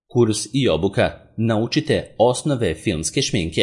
Kurs i obuka Naučite osnove filmske šminke.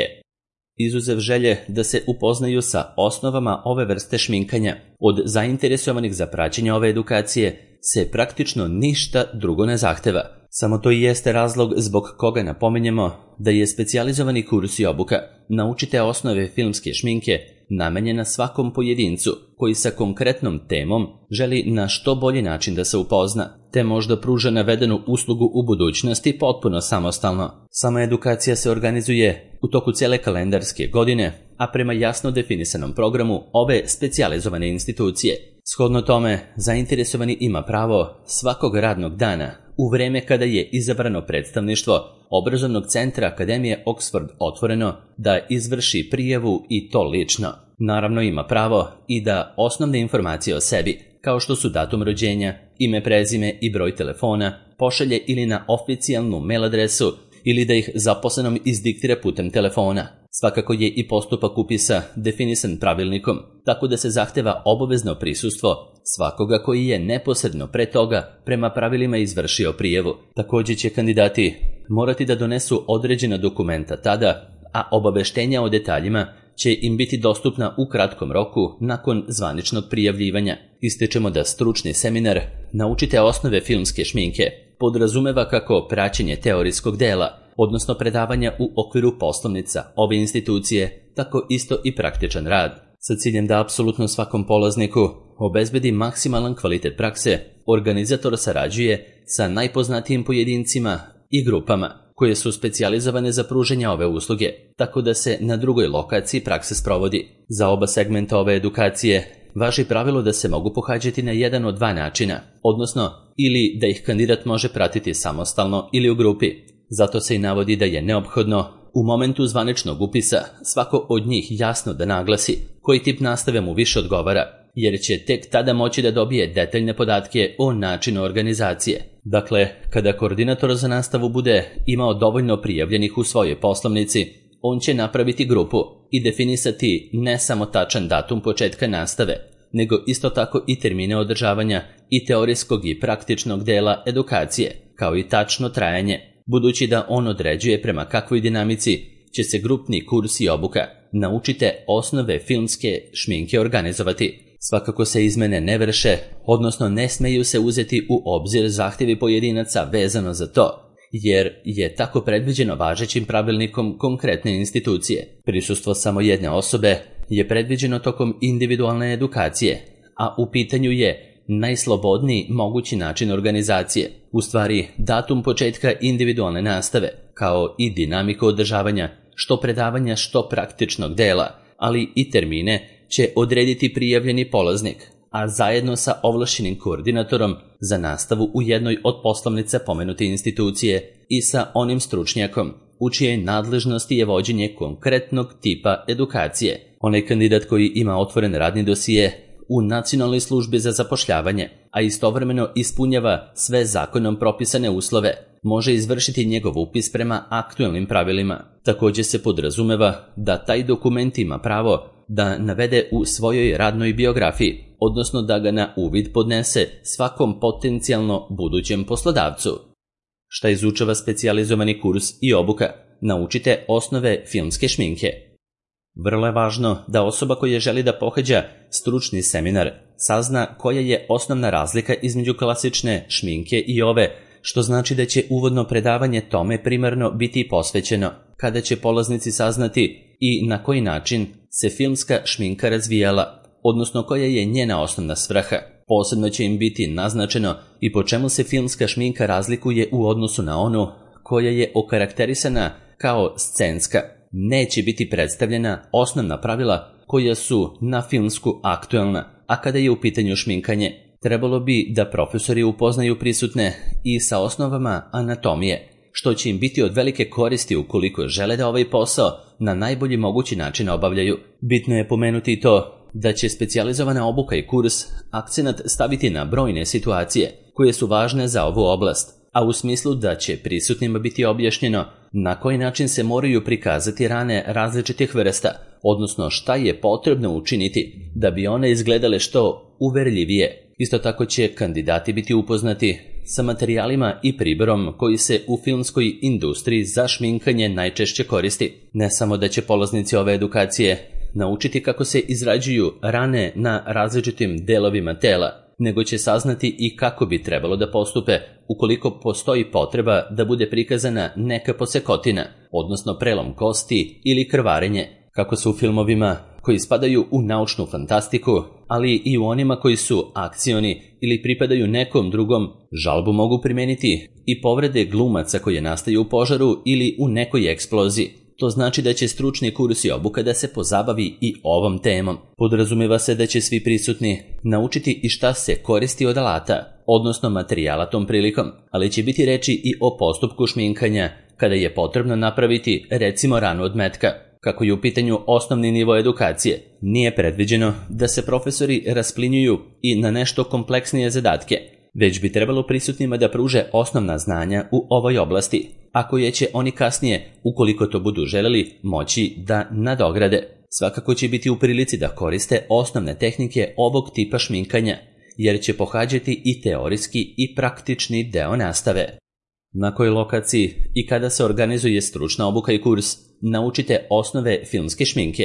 Izuzev želje da se upoznaju sa osnovama ove vrste šminkanja, od zainteresovanih za praćenje ove edukacije se praktično ništa drugo ne zahteva. Samo to i jeste razlog zbog koga napominjemo da je specijalizovani kurs i obuka Naučite osnove filmske šminke namenjena svakom pojedincu koji sa konkretnom temom želi na što bolji način da se upozna, te možda pruža navedenu uslugu u budućnosti potpuno samostalno. Sama edukacija se organizuje u toku cijele kalendarske godine, a prema jasno definisanom programu ove specijalizovane institucije. Shodno tome, zainteresovani ima pravo svakog radnog dana u vreme kada je izabrano predstavništvo Obrazovnog centra Akademije Oxford otvoreno da izvrši prijavu i to lično. Naravno ima pravo i da osnovne informacije o sebi, kao što su datum rođenja, ime, prezime i broj telefona, pošalje ili na oficijalnu mail adresu ili da ih zaposlenom izdiktira putem telefona. Svakako je i postupak upisa definisan pravilnikom, tako da se zahteva obavezno prisustvo svakoga koji je neposredno pre toga prema pravilima izvršio prijavu. Također će kandidati morati da donesu određena dokumenta tada, a obaveštenja o detaljima će im biti dostupna u kratkom roku nakon zvaničnog prijavljivanja. Ističemo da stručni seminar Naučite osnove filmske šminke podrazumeva kako praćenje teorijskog dela, odnosno predavanja u okviru poslovnica ove institucije, tako isto i praktičan rad. Sa ciljem da apsolutno svakom polazniku obezbedi maksimalan kvalitet prakse, organizator sarađuje sa najpoznatijim pojedincima i grupama koje su specijalizovane za pružanje ove usluge, tako da se na drugoj lokaciji praksa sprovodi. Za oba segmenta ove edukacije važi pravilo da se mogu pohađati na jedan od dva načina, odnosno ili da ih kandidat može pratiti samostalno ili u grupi. Zato se i navodi da je neophodno u momentu zvaničnog upisa svako od njih jasno da naglasi koji tip nastave mu više odgovara, jer će tek tada moći da dobije detaljne podatke o načinu organizacije. Dakle, kada koordinator za nastavu bude imao dovoljno prijavljenih u svojoj poslovnici, on će napraviti grupu i definisati ne samo tačan datum početka nastave, nego isto tako i termine održavanja i teorijskog i praktičnog dela edukacije, kao i tačno trajanje, budući da on određuje prema kakvoj dinamici će se grupni kurs i obuka Naučite osnove filmske šminke organizovati. Svakako se izmene ne vrše, odnosno ne smeju se uzeti u obzir zahtjevi pojedinaca vezano za to, jer je tako predviđeno važećim pravilnikom konkretne institucije. Prisustvo samo jedne osobe je predviđeno tokom individualne edukacije, a u pitanju je najslobodniji mogući način organizacije, u stvari datum početka individualne nastave, kao i dinamiku održavanja što predavanja što praktičnog dela, ali i termine će odrediti prijavljeni polaznik, a zajedno sa ovlašćenim koordinatorom za nastavu u jednoj od poslovnica pomenute institucije i sa onim stručnjakom u čijoj nadležnosti je vođenje konkretnog tipa edukacije. Onaj kandidat koji ima otvoren radni dosije u Nacionalnoj službi za zapošljavanje, a istovremeno ispunjava sve zakonom propisane uslove, može izvršiti njegov upis prema aktualnim pravilima. Također se podrazumeva da taj dokument ima pravo da navede u svojoj radnoj biografiji, odnosno da ga na uvid podnese svakom potencijalno budućem poslodavcu. Šta izučava specijalizovani kurs i obuka Naučite osnove filmske šminke? Vrlo je važno da osoba koja želi da pohađa stručni seminar sazna koja je osnovna razlika između klasične šminke i ove, što znači da će uvodno predavanje tome primarno biti posvećeno, kada će polaznici saznati i na koji način se filmska šminka razvijala, odnosno koja je njena osnovna svrha. Posebno će im biti naznačeno i po čemu se filmska šminka razlikuje u odnosu na onu koja je okarakterisana kao scenska. Neće biti predstavljena osnovna pravila koja su na filmsku aktualna, a kada je u pitanju šminkanje, trebalo bi da profesori upoznaju prisutne i sa osnovama anatomije, što će im biti od velike koristi ukoliko žele da ovaj posao na najbolji mogući način obavljaju. Bitno je pomenuti i to da će specijalizovana obuka i kurs akcenat staviti na brojne situacije koje su važne za ovu oblast, a u smislu da će prisutnima biti objašnjeno na koji način se moraju prikazati rane različitih vrsta, odnosno šta je potrebno učiniti da bi one izgledale što uverljivije. Isto tako će kandidati biti upoznati sa materijalima i priborom koji se u filmskoj industriji za šminkanje najčešće koristi. Ne samo da će polaznici ove edukacije naučiti kako se izrađuju rane na različitim delovima tela, nego će saznati i kako bi trebalo da postupe ukoliko postoji potreba da bude prikazana neka posekotina, odnosno prelom kosti ili krvarenje, kako su u filmovima koji spadaju u naučnu fantastiku, ali i u onima koji su akcioni ili pripadaju nekom drugom. Žalbu mogu primeniti i povrede glumaca koje nastaju u požaru ili u nekoj eksploziji. To znači da će stručni kurs i obuka da se pozabavi i ovom temom. Podrazumeva se da će svi prisutni naučiti i šta se koristi od alata, odnosno materijala tom prilikom, ali će biti reči i o postupku šminkanja kada je potrebno napraviti recimo ranu od metka. Kako je u pitanju osnovni nivo edukacije, nije predviđeno da se profesori rasplinjuju i na nešto kompleksnije zadatke, već bi trebalo prisutnima da pruže osnovna znanja u ovoj oblasti, a koje će oni kasnije, ukoliko to budu želeli, moći da nadograde. Svakako će biti u prilici da koriste osnovne tehnike ovog tipa šminkanja, jer će pohađati i teorijski i praktični deo nastave. Na kojoj lokaciji i kada se organizuje stručna obuka i kurs, naučite osnove filmske šminke.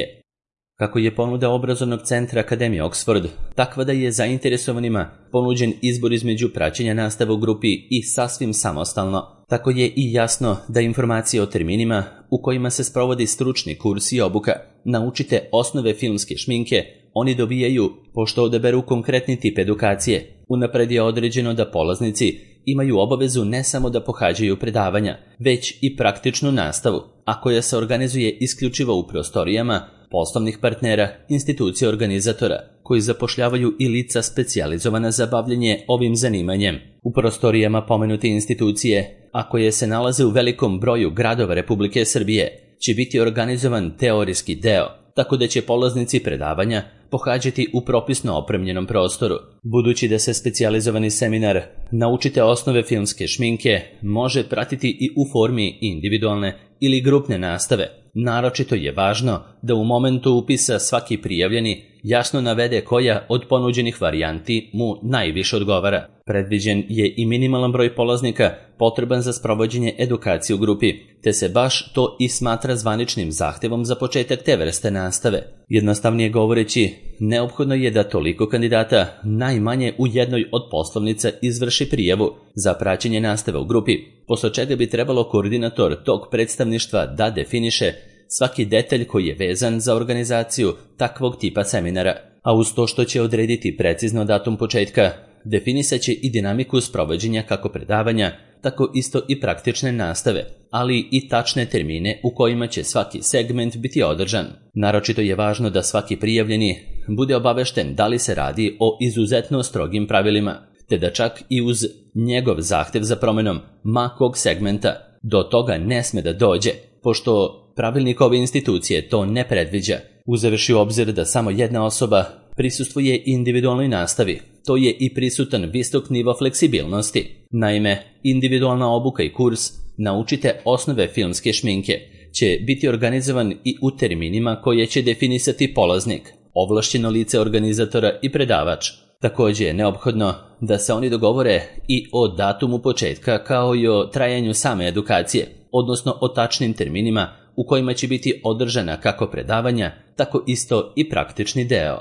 Kako je ponuda obrazovnog centra Akademije Oxford takva da je zainteresovanima ponuđen izbor između praćenja nastave u grupi i sasvim samostalno, tako je i jasno da informacije o terminima u kojima se sprovodi stručni kurs i obuka naučite osnove filmske šminke oni dobijaju pošto odaberu konkretni tip edukacije. Unapred je određeno da polaznici imaju obavezu ne samo da pohađaju predavanja, već i praktičnu nastavu, a koja se organizuje isključivo u prostorijama poslovnih partnera, institucija organizatora, koji zapošljavaju i lica specijalizovana za bavljenje ovim zanimanjem. U prostorijama pomenute institucije, a koje se nalaze u velikom broju gradova Republike Srbije, će biti organizovan teorijski deo, tako da će polaznici predavanja pohađati u propisno opremljenom prostoru. Budući da se specijalizovani seminar naučite osnove filmske šminke može pratiti i u formi individualne ili grupne nastave, naročito je važno da u momentu upisa svaki prijavljeni jasno navede koja od ponuđenih varijanti mu najviše odgovara. Predviđen je i minimalan broj polaznika potreban za sprovođenje edukacije u grupi, te se baš to i smatra zvaničnim zahtevom za početak te vrste nastave. Jednostavnije govoreći, neophodno je da toliko kandidata najmanje u jednoj od poslovnica izvrši prijavu za praćenje nastave u grupi, posle čega bi trebalo koordinator tog predstavništva da definiše svaki detalj koji je vezan za organizaciju takvog tipa seminara, a uz to što će odrediti precizno datum početka, definisat će i dinamiku sprovođenja kako predavanja, tako isto i praktične nastave, ali i tačne termine u kojima će svaki segment biti održan. Naročito je važno da svaki prijavljeni bude obavešten da li se radi o izuzetno strogim pravilima, te da čak i uz njegov zahtev za promenom ma kog segmenta do toga ne sme da dođe, pošto pravilnik ove institucije to ne predviđa, uzevši u obzir da samo jedna osoba prisustvuje individualnoj nastavi. To je i prisutan visok nivo fleksibilnosti. Naime, individualna obuka i kurs naučite osnove filmske šminke će biti organizovan i u terminima koje će definisati polaznik, ovlašćeno lice organizatora i predavač. Također je neophodno da se oni dogovore i o datumu početka kao i o trajanju same edukacije, odnosno o tačnim terminima u kojima će biti održana kako predavanja, tako isto i praktični deo.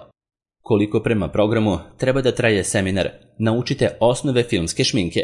Koliko prema programu treba da traje seminar, naučite osnove filmske šminke.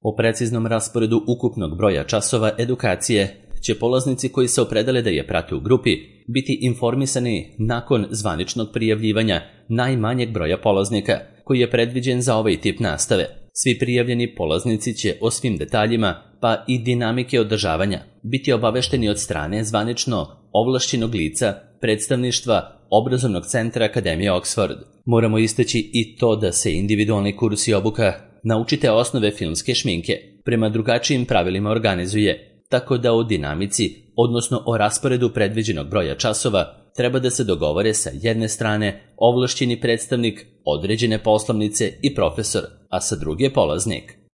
O preciznom rasporedu ukupnog broja časova edukacije će polaznici koji se opredele da je prate u grupi biti informisani nakon zvaničnog prijavljivanja najmanjeg broja polaznika koji je predviđen za ovaj tip nastave. Svi prijavljeni polaznici će o svim detaljima pa i dinamike održavanja biti obavešteni od strane zvanično ovlašćenog lica predstavništva obrazovnog centra Akademije Oxford. Moramo istaći i to da se individualni kurs i obuka naučite osnove filmske šminke prema drugačijim pravilima organizuje, tako da o dinamici, odnosno o rasporedu predviđenog broja časova, treba da se dogovore sa jedne strane ovlašćeni predstavnik određene poslovnice i profesor, a sa druge polaznik.